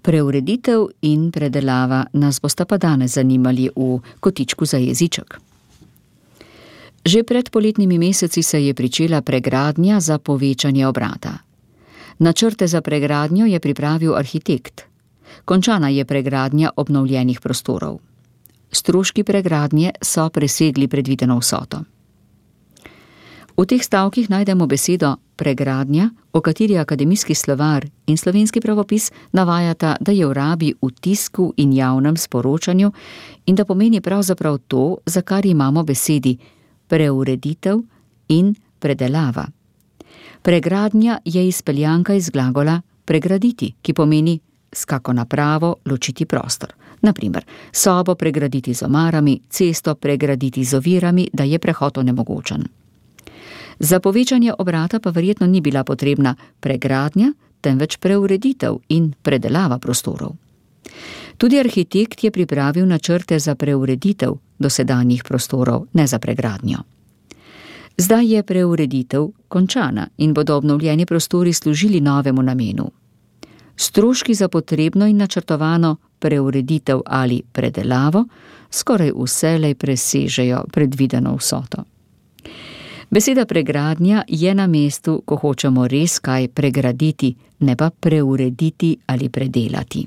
Preureditev in predelava nas bosta pa danes zanimali v kotičku za jeziček. Že pred poletnimi meseci se je pričela pregradnja za povečanje obrata. Načrte za pregradnjo je pripravil arhitekt. Končana je pregradnja obnovljenih prostorov. Stroški pregradnje so presegli predvideno vsoto. V teh stavkih najdemo besedo pregradnja, o kateri akademijski slovar in slovenski pravopis navajata, da je v rabi v tisku in javnem sporočanju in da pomeni pravzaprav to, za kar imamo besedi preureditev in predelava. Pregradnja je izpeljanka iz glagola pregraditi, ki pomeni s kako napravo ločiti prostor. Naprimer, sobo pregraditi z omarami, cesto pregraditi z ovirami, da je prehod onemogočen. Za povečanje obrata pa verjetno ni bila potrebna pregradnja, temveč preureditev in predelava prostorov. Tudi arhitekt je pripravil načrte za preureditev dosedanjih prostorov, ne za pregradnjo. Zdaj je preureditev končana in bodo obnovljeni prostori služili novemu namenu. Stroški za potrebno in načrtovano preureditev ali predelavo skoraj vselej presežejo predvideno vsoto. Beseda pregradnja je na mestu, ko hočemo res kaj pregraditi, ne pa preurediti ali predelati.